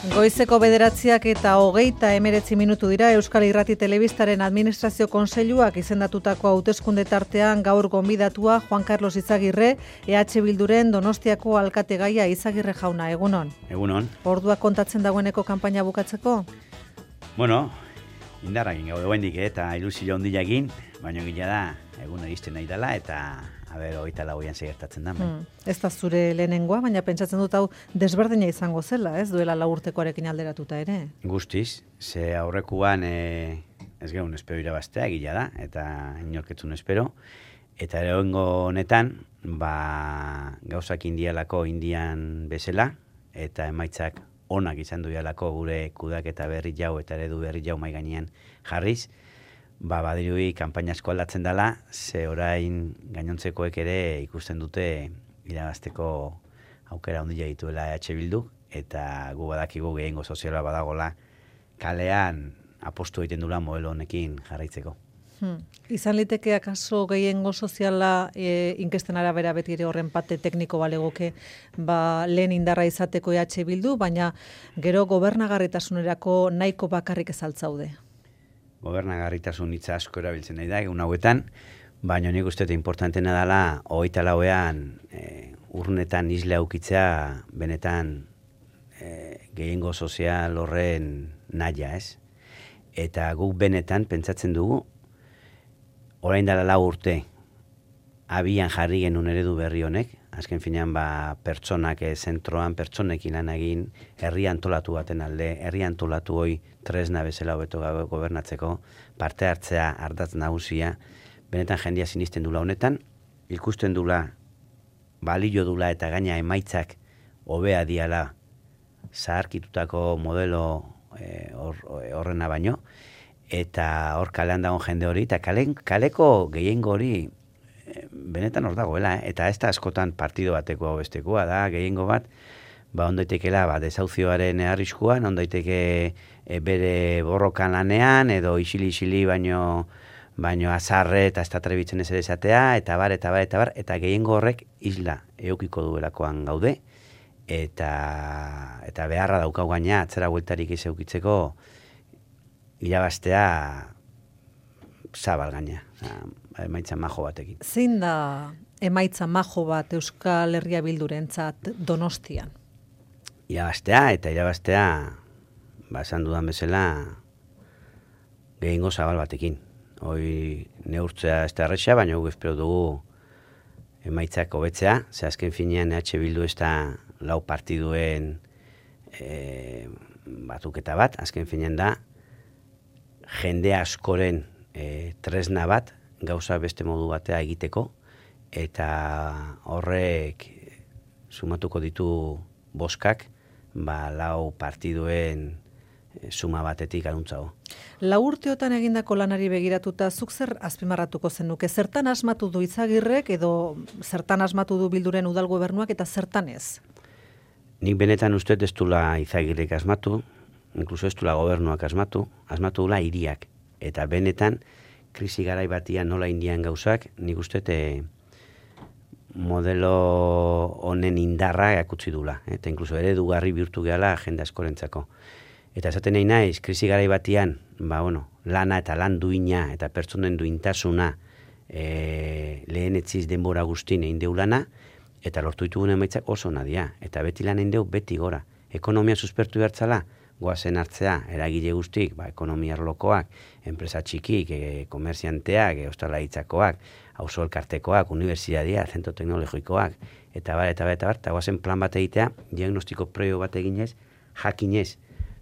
Goizeko 9:29 minutu dira. Euskal Irrati Telebistaren Administrazio Kontseiluak izendatutako hauteskunde tartean gaur gonbidatua Juan Carlos Izagirre, EH Bilduren Donostiako alkategaia. Izagirre jauna, egunon. Egunon. Orduak kontatzen dagoeneko kanpaina bukatzeko? Bueno, indarrakin gaude oraindik eta ilusio handia egin, baina gila da egun egizten nahi dela eta hogeita lauean segertatzen da. Ez da zure lehenengoa, baina pentsatzen dut hau desberdina izango zela, ez duela 4 urtekoarekin alderatuta ere. Guztiz, ze aurrekoan ez geun espero irabaztea gila da, eta inorketzun espero. Eta lehenengo honetan, gauzak indian bezala, eta emaitzak onak izan duelako gure kudaketa berri jau eta eredu berri jau mai gainean jarriz, badirudi kanpaina asko aldatzen dela, ze orain gainontzekoek ere ikusten dute irabazteko aukera handia dituela EH Bildu, eta gu badakigu gehiengo soziala badagola kalean apostu egiten dula modelo honekin jarraitzeko. Izan liteke akaso gehiengo soziala inkesten arabera beti ere horren parte tekniko balegoke lehen indarra izateko EH Bildu, baina gero gobernagarritasunerako nahiko bakarrik ez altzaude. Gobernagarritasun hitza asko erabiltzen nahi da egun hauetan, baina nik uste importantena dela 24ean urnetan isla aukitzea benetan gehiengo sozial horren nahia, ez? Eta guk benetan pentsatzen dugu orain dela 4 urte abian jarri genuen eredu berri honek, azken finean pertsonak zentroan, pertsonekin lan egin, herri antolatu baten alde, herri antolatu hoi tresna bezala hobeto gobernatzeko, parte hartzea ardatz nagusia, benetan jendia sinisten dula honetan, ikusten dula, balio dula eta gaina emaitzak hobea diala zaharkitutako modelo horrena baino, eta hor kalean dagoen jende hori, eta kaleko gehiengo hori benetan hor dagoela, eta ez da askotan partido bateko bestekoa da, gehiengo bat, ondaitekela desauzioaren arriskuan, ondaiteke bere borrokan lanean, edo isili baino azarre eta ez da trebitzen ez ere esatea, eta bar, eta gehiengo horrek isla eukiko duelakoan gaude, eta beharra daukau gaina, atzera bueltarik ez eukitzeko, irabaztea zabal gaina, emaitza majo batekin. Zein da emaitza majo bat Euskal Herria Bildurentzat Donostian? Irabaztea, esan dudan bezala, gehiengo zabal batekin. Hoi neurtzea ez da erresa, baina guk espero dugu emaitzak hobetzea, ze azken finean EH Bildu ez da 4 partiduen batuketa bat, azken finean da, jende askoren tresna bat, gauza beste modu batea egiteko, eta horrek sumatuko ditu boskak, 4 partiduen suma batetik anuntzago. 4 urteotan egindako lanari begiratuta, zuk zer azpimarratuko zenuke? Zertan asmatu du Izagirrek, edo zertan asmatu du Bilduren udal gobernuak, eta zertan ez? Nik benetan uste ez dula Izagirrek asmatu, inkluso ez dula gobernuak asmatu dula hiriak. Eta benetan, krisi garai batian nola indian gauzak, nik uste modelo honen indarra akutsi dula. Eta inkluso eredugarri bihurtu gehala jende askorentzako. Eta esaten nahi naiz, krisi garai batian, lana eta lan duina eta pertsonen duintasuna lehen etziz denbora guztin egin deu lana, eta lortu ditugun emaitzak oso nadia. Eta beti lan egin deu beti gora. Ekonomia suspertu behartzala, goazen hartzea, eragile guztik, ekonomia arlokoak, enpresa txikik, komerzianteak, ostalaritzakoak, auzo elkartekoak, unibertsitatea, zentro teknologikoak, eta goazen plan bat egitea, diagnostiko prebio bat eginez, jakinez,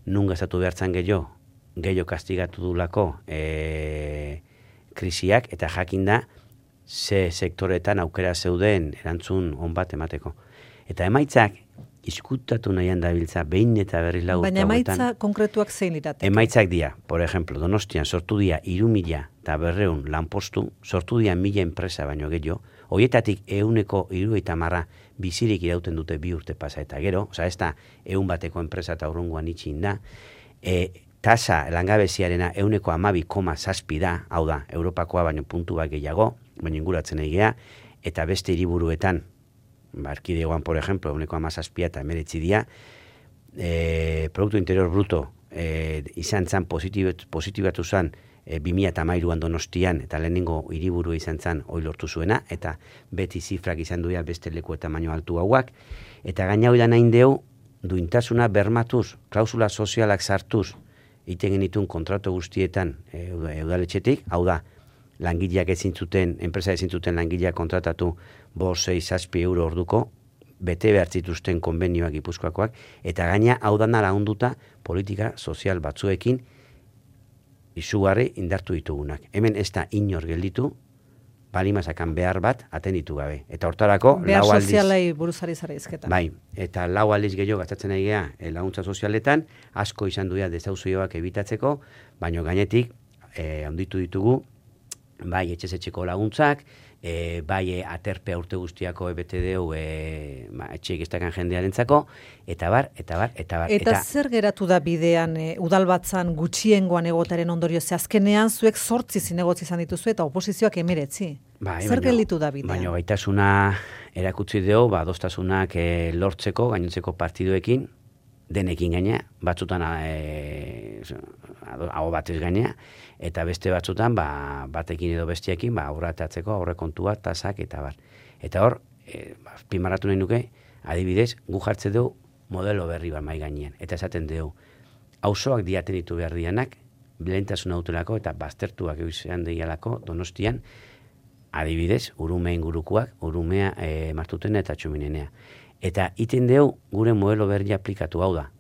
nun gastatu behartzan gehiago kastigatu dulako krisiak, eta jakinda ze sektoretan aukera zeuden erantzun on bat emateko. Eta emaitzak, izkutatu nahian dabiltza, behin eta berriz lagu. Baina emaitza konkretuak zein lirateke? Emaitzak dia, por ejemplo, Donostian sortu dia 3.200 lanpostu, sortu dia 1.000 enpresa baino gehiago, horietatik 130 bizirik irauten dute 2 urte pasa eta gero, ez da 100 bateko enpresa eta urrunguan itxin da, tasa langabeziarena 12,7 da, hau da, Europakoa baino puntu bat gehiago, baina inguratzen egea, eta beste hiriburuetan, Erkidegoan, por ejemplo, 17 eta 19 dia, Produktu Interior Bruto izan zan positibatu zan 2013an Donostian, eta lehenengo hiriburu izan zan hoi lortu zuena, eta beti zifrak izan duia beste leku eta tamaino altu hauak, eta gaina hoi da nahin deu, duintasuna bermatuz, klausula sozialak sartuz, iten genitun kontratu guztietan udaletxetik, hau da, langileak enpresa ezin zuten langileak kontratatu 5-6 euro orduko, bete behar zituzten konbenioak Gipuzkoakoak, eta gaina hau dana lagunduta politika sozial batzuekin izugarri indartu ditugunak. Hemen ez da inor gelditu, balimazakan behar bat atenditu gabe. Eta hortarako, behar sozialei buruzari zara izketan. Bai, eta 4 aldiz gehiago gastatzen ari gea laguntza sozialetan, asko izan duia desauzioak ebitatzeko, baino gainetik handitu ditugu, bai etxez-etxeko laguntzak, bai aterpea urte guztiako EBTDU etxeik estakan jendearentzako, eta bar. Eta zer geratu da bidean udalbatzan gutxiengoan egotaren ondorio, ze azkenean zuek 8 zinegotzi izan dituzu eta oposizioak 19. Zer gelditu da bidean? Baina gaitasuna erakutsi dugu, adostasunak lortzeko, gainontzeko partiduekin, denekin gaina, batzutan hau batez gaina, eta beste batzutan batekin edo bestiekin aurratatzeko aurrekontua, tasak eta bar. Eta hor, pimarratu nahi nuke, adibidez, gu jartze dugu modelo berri bat mai gainean. Eta esaten dugu, auzoak diaten ditu behar dianak, lehentasuna dutelako eta baztertuak izan deialako Donostian, adibidez, Urume ingurukoak, Urumea, Martutena eta Txominenea. Eta iten dugu gure modelo berri aplikatu hau da.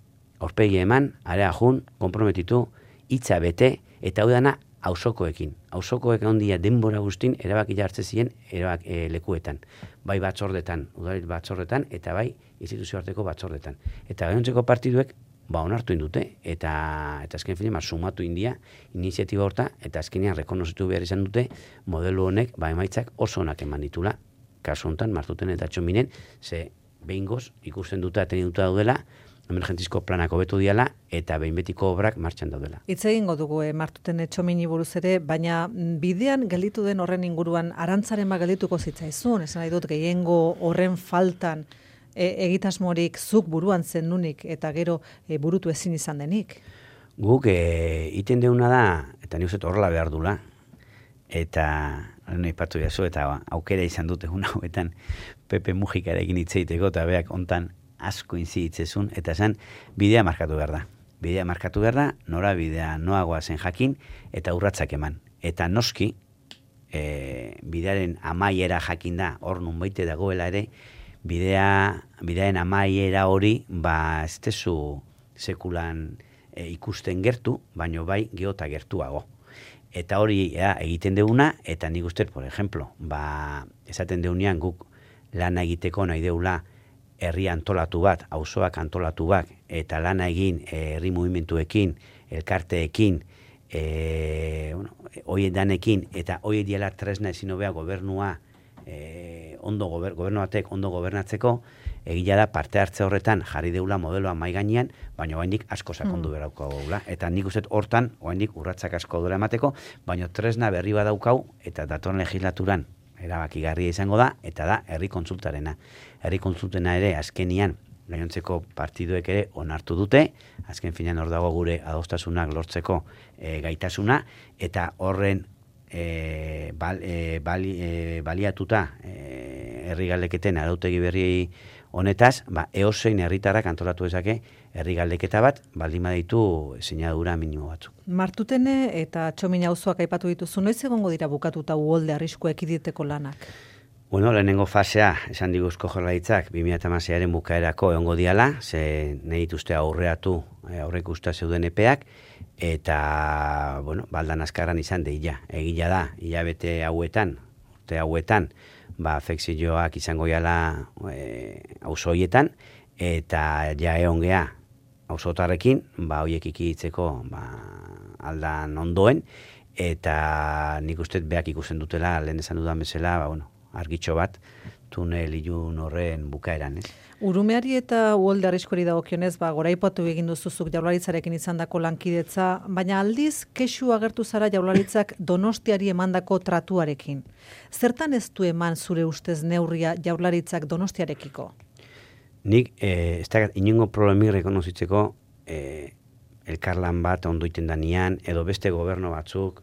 Aurpegi eman, area jun, konprometitu, hitza bete, eta hau dana auzokoekin. Auzokoek ondia denbora guztin erabaki hartze ziren lekuetan. Bai batzordetan, udalit batzordetan, eta bai instituzio arteko batzordetan. Eta gainontzeko partiduek onartu indute, eta azken finean sumatu india iniziatiba horta, eta azkenean rekonozitu behar izan dute modelo honek emaitzak oso onak eman ditula. Kasu honetan, Martuten eta Txominen, ze behingoz ikusten dute atenituta daudela, emergentizko planak hobetu diala eta behin betiko obrak martxan daudela. Hitz egingo dugu Martuten Txomini buruz ere, baina bidean gelditu den horren inguruan arantzaren geldituko zitzaizun, esan nahi dut gehiengo horren faltan egitasmorik zuk buruan zenunik eta gero burutu ezin izan denik. Guk iten deuna da, eta ni uste horrela behar dula, eta aipatu jazu, eta aukera izan dute hauetan Pepe Mujikarekin hitzeiteko, eta beak ontan asko inziditzezun, eta esan bidea markatu behar da. Bidea markatu behar da, nora bidea noagoa zen jakin, eta urratzak eman. Eta noski, bidearen amaiera jakin da, hor nunbaite dagoela ere, bidearen amaiera hori, ez tezu sekulan ikusten gertu, baino bai geota gertuago. Eta hori egiten deuna, eta nik uste, por ejemplo, esaten deunean guk lana egiteko nahi deula herri antolatu bat, auzoak antolatu bat, eta lana egin herri mugimenduekin, elkarteekin, hoiedanekin, eta hoie diela tresna ezin hobea gobernua gobernuatek ondo gobernatzeko, egia da parte hartze horretan jarri deula modeloa mai gainean, baina oraindik asko sakondu berauko gaula. Eta nik uste hortan oraindik urratsak asko dela emateko, baina tresna berri badaukau eta datorren legislaturan erabakigarria izango da, eta da herri kontsultarena. Herri kontsultena ere azkenian gainontzeko partiduek ere onartu dute, azken finean hor dago gure adostasunak lortzeko gaitasuna, eta horren baliatuta herri galdeketen arautegi berri honetaz, eozein herritarrak antolatu dezake herri galdeketa bat, baldin baditu sinadura minimo batzuk. Martutene eta Txomina auzoak aipatu dituzu, noiz egongo dira bukatuta uholde arrisku ekiditeko lanak? Bueno, lehenengo fasea, esan digu Eusko Jaurlaritzak 2016aren bukaerako egongo diala, ze nahi dituzte aurreatu aurreikusta zeuden epeak, eta, bueno, baldan azkarran izan deia. Egia da, hilabete hauetan, urte hauetan, afekzioak izango jala auzoietan, eta ja egon gea auzotarrekin, horiek ikitzeko aldan ondoen, eta nik uste beak ikusten dutela, lehen esan dudan bezala, argitxo bat, tunel ilun horren bukaeran, ez? Urumeari eta uholde arriskuari dagokionez, goraipatu egin duzuzuk Jaurlaritzarekin izandako lankidetza, baina aldiz kexu agertu zara Jaurlaritzak Donostiari emandako tratuarekin. Zertan ez du eman zure ustez neurria Jaurlaritzak Donostiarekiko? Nik, ez da, inongo problemik rekonozitzeko elkarlan bat ondo iten danian, edo beste gobernu batzuk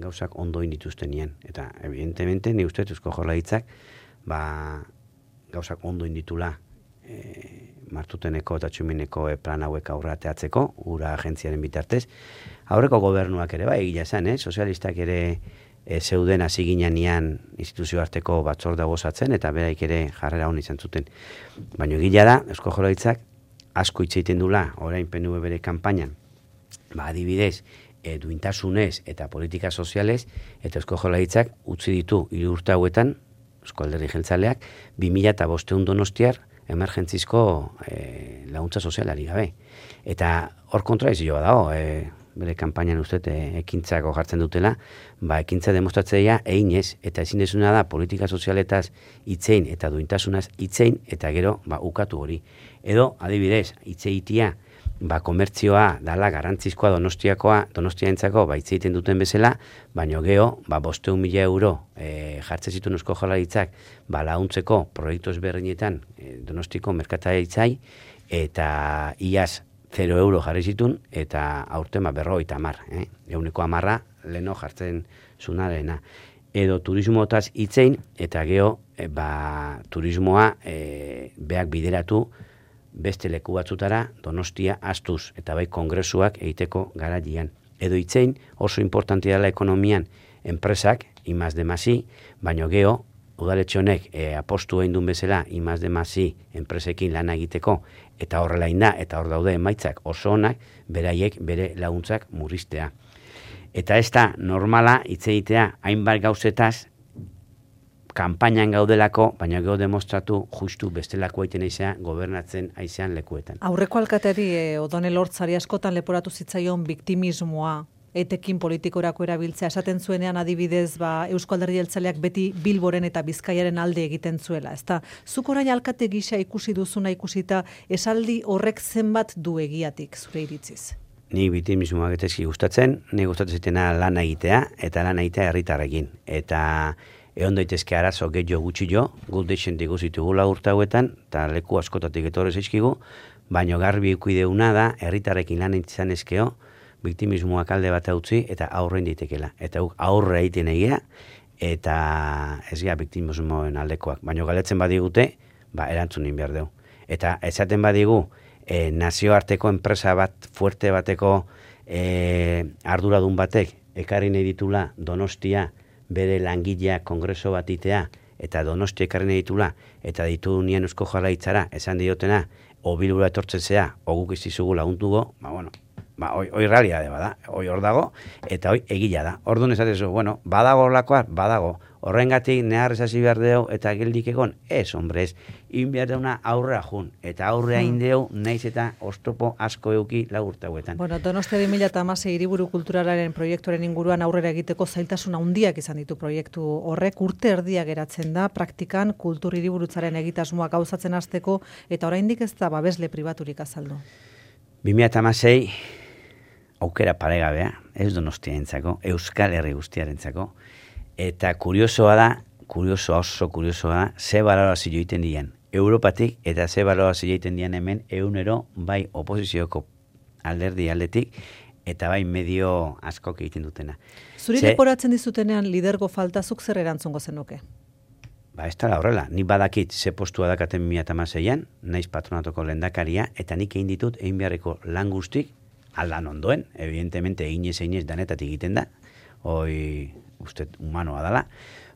gauzak ondo indituztenian. Eta, evidentemente, ni uste Eusko Jaurlaritzak gauzak ondo inditula Martuteneko eta Txumineko plan hauek aurra teatzeko, ura agentziaren bitartez. Aurreko gobernuak ere, egia esan, sozialistak ere zeuden hasi ginean instituzio arteko batzorda gozatzen, eta beraik ere jarrera hon izan zuten. Baina egila da, Eusko Jaurlaritzak asko hitz egiten dula, orain PNV bere kanpainan, adibidez, duintasunez eta politika sozialez, eta Eusko Jaurlaritzak utzi ditu 3 urte hauetan, Eusko Alderdi Jeltzaleak, 2005 Donostiar emergentzizko laguntza sozialari gabe. Eta hor kontradizioa dago, bere kanpainan uste ekintzako jartzen dutela, ekintza demostratzea eginez, eta ezin dezuna da politika sozialetaz hitzein eta duintasunaz hitzein, eta gero ukatu hori. Edo, adibidez, hitzeitia, komertzioa dala garantzizkoa Donostiaentzako hitz egiten duten bezala, baino geho, 500.000 euro jartzen zituen Eusko Jaurlaritzak laguntzeko proiektu ezberdinetan Donostiko merkataritzai, eta iaz 0 euro jarri zituen, eta aurten 50, 110 leno jartzen zunarena. Edo turismoetaz hitzein, eta geho, turismoa beak bideratu beste leku batzutara Donostia astuz, eta kongresuak egiteko garaian. Edo hitzein, oso importantia dela ekonomian enpresak, I+D+I, baino geho, udaletxe honek apostu egin duen bezala I+D+I enpresekin lana egiteko, eta horrela inda, eta hor daude emaitzak oso onak, beraiek bere laguntzak murriztea. Eta ez da normala hitz egitea hainbat gauzetaz, kanpainan gaudelako, baina geho demostratu justu bestelako aiten aizea gobernatzen aizean lekuetan. Aurreko alkateari Odonel Hortzari askotan leporatu zitzaion biktimismoa, etekin politikorako erabiltzea, esaten zuenean adibidez Eusko Alderdi Jeltzaleak beti Bilboren eta Bizkaiaren alde egiten zuela. Ezta, zuk orain alkate gisa ikusi duzuna ikusita, esaldi horrek zenbat du egiatik zure iritziz? Ni biktimismoak etezki gustatzen, ni gustatzen zitena lan egitea, eta lan egitea herritarrekin. Eta egon daitezke arazo gehiago gutxi guk deixentik guzitugula urte hauetan, eta leku askotatik etorrez eizkigu, baino garbi ikuideuna da, herritarrekin lan izan ezkeo, biktimismoak alde bat utzi eta aurrein ditekela. Eta aurre egiten egia, eta ez gara biktimismoen aldekoak. Baina galetzen badigute, erantzunin behar dugu. Eta esaten badigu, nazioarteko enpresa bat, fuerte bateko arduradun batek, ekarri nahi ditula Donostia, bere langilea kongreso bat itea, eta Donostia ekarri nahi ditula, eta ditu nien Eusko Jaurlaritzara, esan diotena, Bilbora etortzen zea, guk izizugu laguntugo, hoi realitate bada, hoi hor dago, eta hoi egila da. Orduan esatezu, badago horlakoa, badago. Horrengatik nehar esasi behar deu eta geldik egon, ez, hombre, ez. In behar deuna aurrea jun, eta aurrea indeu naiz eta oztopo asko euki urte hauetan. Donostia 2016 hiriburu kulturalaren proiektuaren inguruan aurrera egiteko zailtasun handiak izan ditu proiektu horrek, urte erdia geratzen da, praktikan kultur hiriburutzaren egitasmoa gauzatzen hasteko, eta oraindik ez da babesle pribaturik azaldu. 2016 aukera paregabea, ez Donostiarentzako, Euskal Herri guztiarentzako, eta oso kuriosoa da, ze balorazio egiten dian Europatik, eta ze balorazio egiten dian hemen egunero bai oposizioko alderdi aldetik, eta bai medio askok egiten dutena. Zuri leporatzen dizutenean lidergo faltazuk zer erantzungo zenuke? Ez da horrela, nik badakit ze postua dakaten 2016an, naiz patronatoko lehendakaria, eta nik egin ditut egin beharreko lan guztik, aldan ondoen, evidentemente eginez danetatik egiten da, hoi uste humanoa dela,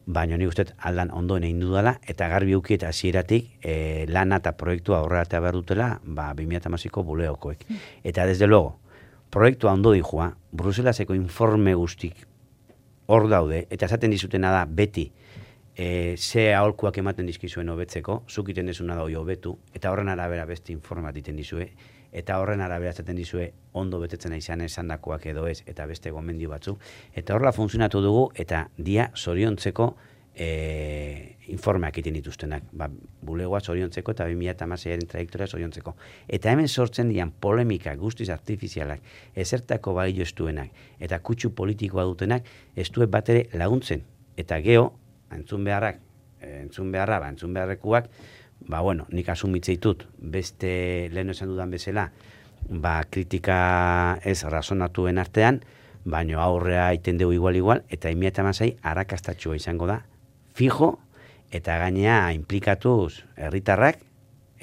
baina nik uste aldan ondoen egin dudala, eta garbi ukiet hasieratik lana eta proiektua aurreratea behar dutela 2016ko buleokoek. Eta desde luego, proiektua ondo dijua, Bruselaseko informe guztik hor daude, eta esaten dizutena da beti, ze aholkuak ematen dizkizuen hobetzeko, zuk iten dezuna da hoi hobetu, eta horren arabera beste informat iten dizue, eta horren arabera zaten dizue ondo betetzen izan esandakoak edo ez, eta beste gomendio batzu. Eta horrela funtzionatu dugu, eta dia zoriontzeko informeak iten dituztenak. Bulegoa zoriontzeko eta 2016aren trajektoria zoriontzeko. Eta hemen sortzen dian polemika guztiz artifizialak, ezertako balio estuenak, eta kutsu politikoa dutenak, ez du bat ere laguntzen. Eta geho, entzun beharrekuak, nik asumitzeitut, beste lehen esan dudan bezala, kritika ez razonatuen artean, baina aurrea iten dugu igual, eta 2016 arrakastatxua izango da, fijo, eta gainea implikatuz herritarrak,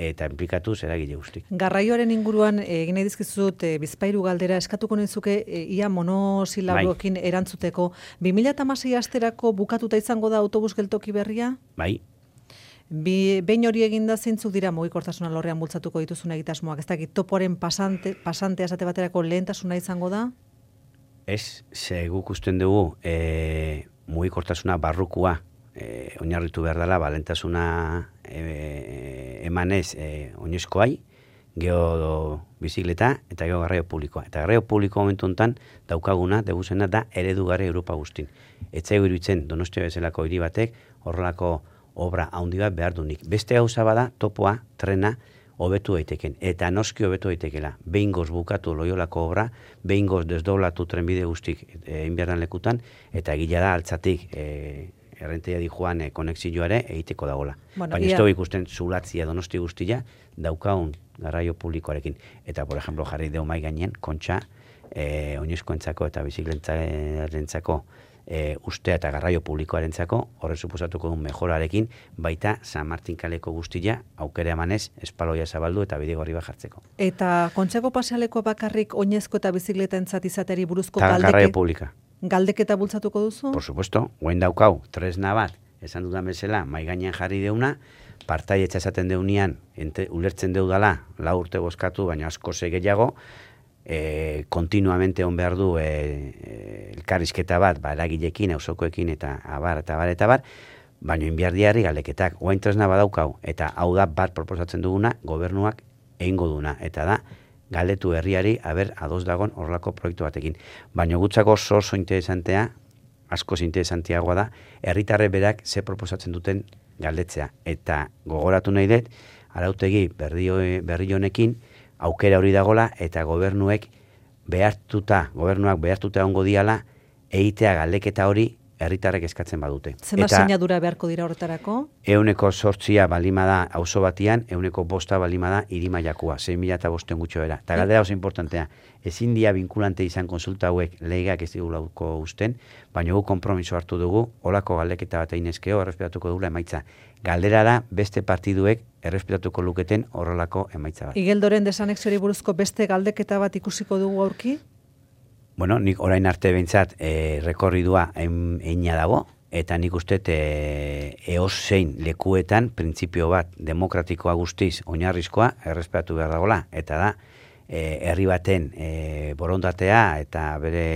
eta implikatuz eragile guztik. Garraioaren inguruan egin nahi dizkizut bizpahiru galdera eskatuko nizuke ia monosilaboekin erantzuteko. 2016 asterako bukatuta izango da autobus geltoki berria? Bai. Behin hori eginda zeintzuk dira mugikortasuna alorrean bultzatuko dituzun egitasmoak? Ez dakit toporen pasantea esate baterako lehentasuna izango da? Ez, guk usten dugu mugikortasuna barrukua oinarritu behar dela, balentasuna emanez oinezkoai, geho bizikleta eta geho garraio publikoa. Eta garraio publiko momentu honetan daukaguna, deguzena da eredugarri Europa guztin. Etzaigu iruditzen Donostia bezalako hiri batek horrelako obra handi bat behar dunik. Beste gauza bada topoa, trena, hobetu daiteken. Eta noski hobetu daitekela. Behingoz bukatu Loiolako obra, behingoz desdoblatu trenbide guztik inbierdan lekutan, eta gila da altzatik errenteia di joan konexioare egiteko dagola. Baina ez dugu ikusten zulatzia Donosti guztia daukaun garraio publikoarekin. Eta, por ejemplo, jarri deu mai gainen, kontxa, oinezkoentzako eta bizikletzarentzako ustea eta garraio publikoarentzako horre suposatuko duen mejorarekin, baita San Martin kaleko guztia aukera emanez espaloia zabaldu eta bidegorri bat jartzeko. Eta kontxako pasealeko bakarrik oinezko eta bizikletentzat izateri buruzko garraio publika. Galdeketa bultzatuko duzu? Por supuesto, guen daukau, tresna bat, esan dudan bezala, mai gainean jarri deuna, partaietxa esaten deunian, ulertzen deudala, 4 urte bozkatu, baina asko gehiago, kontinuamente on behar du elkarrizketa bat, eragilekin, auzokoekin, eta abar, baina inbiardiari galdeketak, guain tresna badaukau, eta hau da bat proposatzen duguna, gobernuak egingo duna, eta da, galdetu herriari, ados dagon horrelako proiektu batekin. Baina gutzako oso interesantea, asko interesanteagoa da, herritarre berak ze proposatzen duten galdetzea. Eta gogoratu nahi dut, arautegi berri honekin, aukera hori dagola, eta gobernuak behartuta ongo diala, egitea galdeketa hori herritarrek eskatzen badute. Zenbat sinadura beharko dira horretarako? 8% balimada auzo batian, 5% balimada hiri mailakoa, 6.500 gutxo era. Eta galdera oso importantea, ezin dia vinkulante izan konsulta hauek legeak ez digulako usten, baina gu konpromiso hartu dugu, holako galdeketa bat einezkeo, errespetatuko dugula emaitza. Galdera da, beste partiduek errespetatuko luketen horrelako emaitza bat. Igeldoren desanexiori buruzko beste galdeketa bat ikusiko dugu aurki? Bueno, nik orain arte behintzat rekorridua eina dago, eta nik uste eozein lekuetan printzipio bat demokratikoa guztiz oinarrizkoa errespetatu behar dagoela, eta da herri baten borondatea eta bere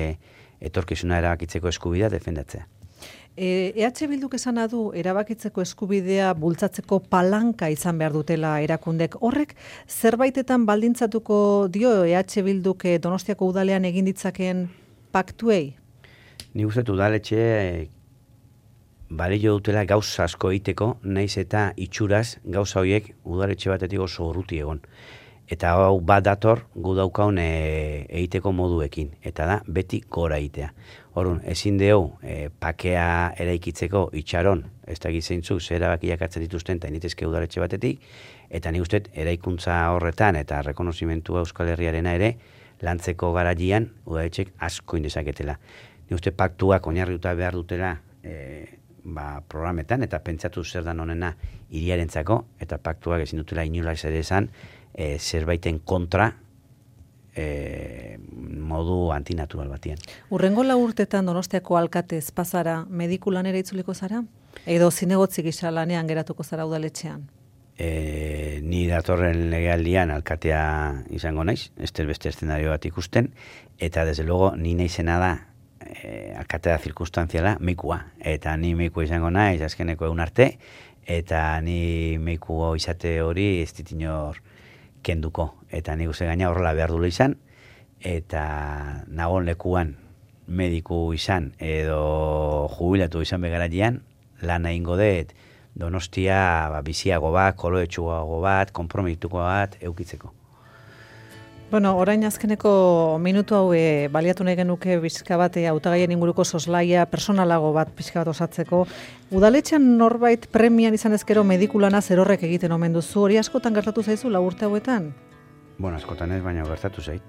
etorkizuna erabakitzeko eskubidea defendatzea. EH Bilduk esana du erabakitzeko eskubidea bultzatzeko palanka izan behar dutela erakundek. Horrek zerbaitetan baldintzatuko dio EH Bilduk Donostiako udalean egin ditzakeen paktuei? Ni uste udaletxe balio dutela gauza asko egiteko, naiz eta itxuraz gauza horiek udaletxe batetik oso urruti egon. Eta hau bat dator gu daukaun egiteko moduekin, eta da beti gora egitea. Orrun, ezin deu pakea eraikitzeko itxaron, ez da gizentzuk zer erabakiak hartzen dituzten eta initezke udaletxe batetik, eta nik uste eraikuntza horretan eta rekonozimentua Euskal Herriarena ere lantzeko garaian udaletxek asko indezaketela. Nik uste paktuak oinarrituta behar dutela programetan eta pentsatu zer dan honena hiriarentzako, eta paktuak ezin dutela inolaz ere esan zerbaiten kontra modu antinatural batian. Urrengo 4 urtetan Donostiako alkate espazara mediku lanera itzuliko zara? Edo zinegotzi gisa lanean geratuko zara udaletxean? Ni datorren legealdian alkatea izango naiz, beste eszenario bat ikusten, eta desde luego ni naizena da alkatea zirkunstanziala meikua. Eta ni meikua izango naiz azkeneko egun arte, eta ni meikua izate hori ez ditinor kenduko. Eta nik uste gaina horrela behar dula izan, eta nagon lekuan mediku izan edo jubilatu izan begaratian, lan egingo dut Donostia biziago bat, koloetsuago bat, konpromituko bat eukitzeko. Bueno, orain azkeneko minutu hau baliatu nahi genuke pixka bat hautagaien inguruko soslaia personalago bat pixka bat osatzeko. Udaletxean norbait premian izan ezkero medikulana zerorrek egiten omen duzu, hori askotan gertatu zaizu urte hauetan? Bueno, askotan ez, baina gertatu zait.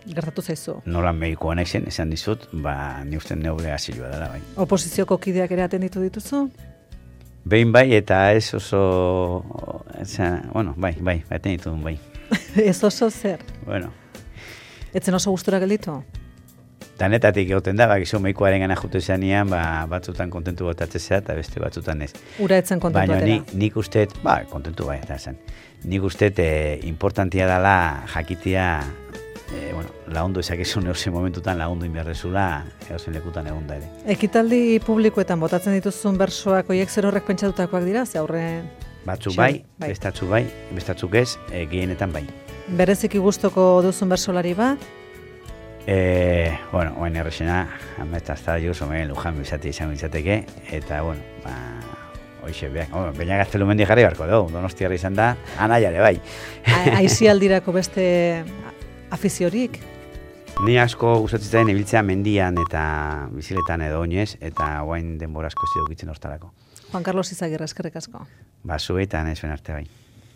Gertatu zaizu. Nola medikoa naizen, esan dizut, ni uste neure asilua dela, bai. Oposizioko kideak ere atenditu dituzu? Behin bai, eta ez oso... bueno, bai, atenditu duen bai. Ez oso zer? Bueno. Etzen oso gustura gelditu? Danetatik egoten da, bakizu medikoaren gana jute zanean, batzutan kontentu botatzea eta beste batzutan ez. Ura etzen kontentu atera? Baina nik uste, kontentu bai, eta zen. Nik uste importantia dela jakitea, lagundu ezakezun eusen momentutan lagundu inberrezula, eusen lekutan egon da ere. Ekitaldi publikoetan botatzen dituzun bersoak, oiek zer horrek pentsatutakoak dira, ze aurre... Batzuk bai, bestatzuk ez, gehienetan bai. Bereziki gustoko duzun bersolari bat? Oain errexena, ametazta juz, omen Lujan bizati izan bizateke, eta, hoxe, baina gaztelu mendi jarri barko dugu, Donostiarra izan da, anaiare bai. Aizialdirako beste afiziorik? Ni asko gustatzen ibiltzea mendian eta biziletan edo oinez, eta oain denbora asko ez dukitzen hortarako. Juan Carlos Izagirre, eskerrik asko. Zuetan ez arte bai.